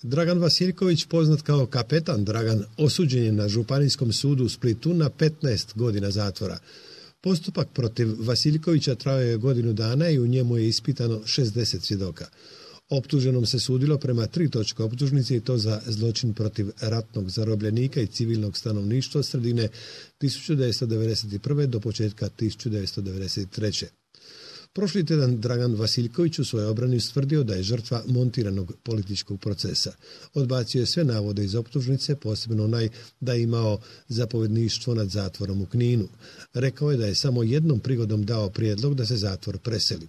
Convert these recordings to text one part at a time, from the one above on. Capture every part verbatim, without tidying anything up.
Dragan Vasiljković, poznat kao kapetan Dragan, osuđen je na Županijskom sudu u Splitu na petnaest godina zatvora. Postupak protiv Vasiljkovića trajao je godinu dana i u njemu je ispitano šezdeset svjedoka. Optuženom se sudilo prema tri točke optužnice i to za zločin protiv ratnog zarobljenika i civilnog stanovništva od sredine tisuću devetsto devedeset prve. do početka tisuću devetsto devedeset treće. Prošli tjedan Dragan Vasiljković u svojoj obrani ustvrdio da je žrtva montiranog političkog procesa. Odbacio je sve navode iz optužnice, posebno onaj da je imao zapovjedništvo nad zatvorom u Kninu. Rekao je da je samo jednom prigodom dao prijedlog da se zatvor preseli.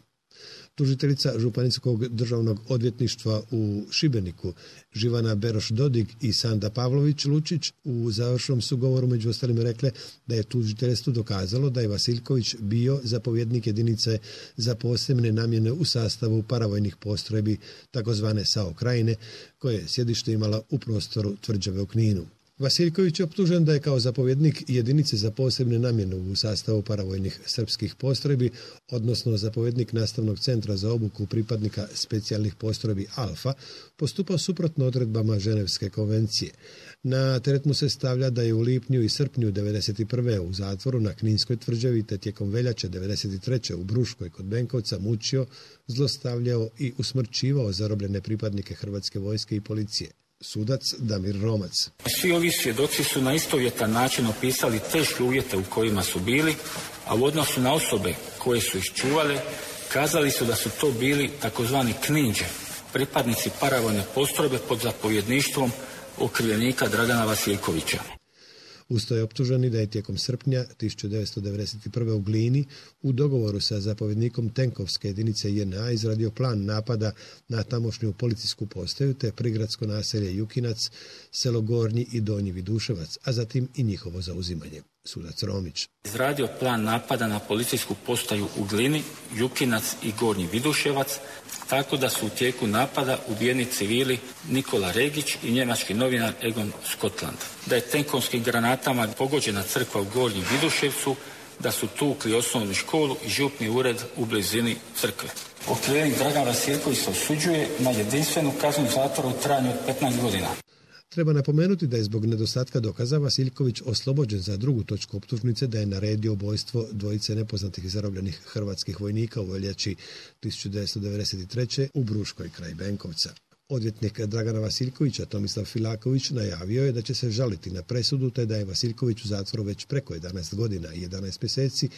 Tužiteljica Županijskog državnog odvjetništva u Šibeniku, Živana Beroš-Dodig i Sanda Pavlović-Lučić, u završnom su govoru među ostalim rekle da je tužiteljstvo dokazalo da je Vasiljković bio zapovjednik jedinice za posebne namjene u sastavu paravojnih postrojbi takozvane S A O Krajine, koje je sjedište imala u prostoru tvrđave u Kninu. Vasiljković je optužen da je kao zapovjednik jedinice za posebne namjene u sastavu paravojnih srpskih postrojbi, odnosno zapovjednik nastavnog centra za obuku pripadnika specijalnih postrojbi Alfa, postupao suprotno odredbama Ženevske konvencije. Na teret mu se stavlja da je u lipnju i srpnju devedeset prve. u zatvoru na Kninskoj tvrđavi te tijekom veljače devedeset treće. u Bruškoj kod Benkovca mučio, zlostavljao i usmrćivao zarobljene pripadnike Hrvatske vojske i policije. Sudac Damir Romac. Svi ovi svjedoci su na istovjetan način opisali teške uvjete u kojima su bili, a u odnosu na osobe koje su ih čuvale, kazali su da su to bili takozvani kninđe, pripadnici paravojne postrojbe pod zapovjedništvom okrivljenika Dragana Vasiljkovića. Usto je optuženi da je tijekom srpnja tisuću devetsto devedeset prve. u Glini u dogovoru sa zapovjednikom tenkovske jedinice J N A izradio plan napada na tamošnju policijsku postaju te prigradsko naselje Jukinac, selo Gornji i Donji Viduševac, a zatim i njihovo zauzimanje. Sudac Romić. Izradio plan napada na policijsku postaju u Glini, Jukinac i Gornji Viduševac, tako da su u tijeku napada ubijeni civili Nikola Regić i njemački novinar Egon Skotland. Da je tenkovskim granatama pogođena crkva u Gornjem Viduševcu, da su tukli osnovnu školu i župni ured u blizini crkve. Okrivljenik Dragan Vasiljković se osuđuje na jedinstvenu kaznu zatvora u trajanju od petnaest godina. Treba napomenuti da je zbog nedostatka dokaza Vasiljković oslobođen za drugu točku optužnice da je naredio ubojstvo dvojice nepoznatih zarobljenih hrvatskih vojnika u veljači tisuću devetsto devedeset treće. u Bruškoj kraj Benkovca. Odvjetnik Dragana Vasiljkovića Tomislav Filaković najavio je da će se žaliti na presudu te da je Vasiljković u zatvoru već preko jedanaest godina i jedanaest mjeseci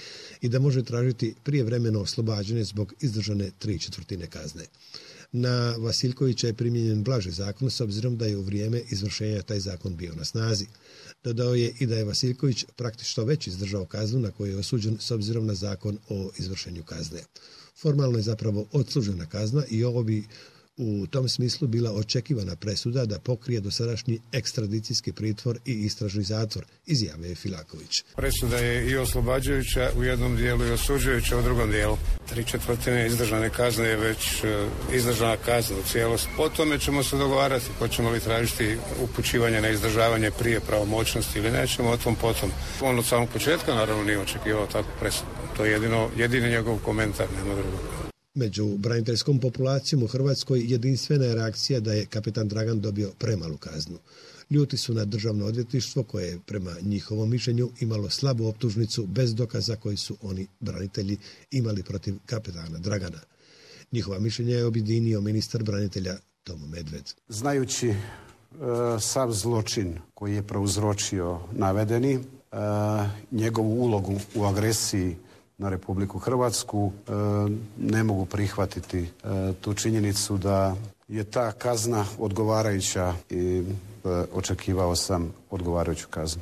i da može tražiti prijevremeno oslobađanje zbog izdržane tri četvrtine kazne. Na Vasiljkovića je primijenjen blaži zakon s obzirom da je u vrijeme izvršenja taj zakon bio na snazi. Dodao je i da je Vasiljković praktično već izdržao kaznu na koju je osuđen s obzirom na zakon o izvršenju kazne. Formalno je zapravo odslužena kazna i ovo bi u tom smislu bila očekivana presuda da pokrije dosadašnji ekstradicijski pritvor i istražni zatvor, izjavio je Filaković. Presuda je i oslobađajuća u jednom dijelu i osuđujuća u drugom dijelu. Tri četvrtine izdržane kazne je već izdržana kazna u cijelosti. Po tome ćemo se dogovarati, hoćemo li tražiti upućivanje na izdržavanje prije pravomoćnosti ili nećemo, o tom potom. On od samog početka naravno nije očekivao takvu presudu. To je jedino, jedini njegov komentar, nema drugog. Među braniteljskom populacijom u Hrvatskoj jedinstvena je reakcija da je kapetan Dragan dobio premalu kaznu. Ljuti su na državno odvjetništvo koje je prema njihovom mišljenju imalo slabu optužnicu bez dokaza koji su oni branitelji imali protiv kapetana Dragana. Njihova mišljenja je objedinio ministar branitelja Tomo Medved. Znajući e, sav zločin koji je prouzročio navedeni, e, njegovu ulogu u agresiji na Republiku Hrvatsku, e, ne mogu prihvatiti e, tu činjenicu da je ta kazna odgovarajuća i e, očekivao sam odgovarajuću kaznu.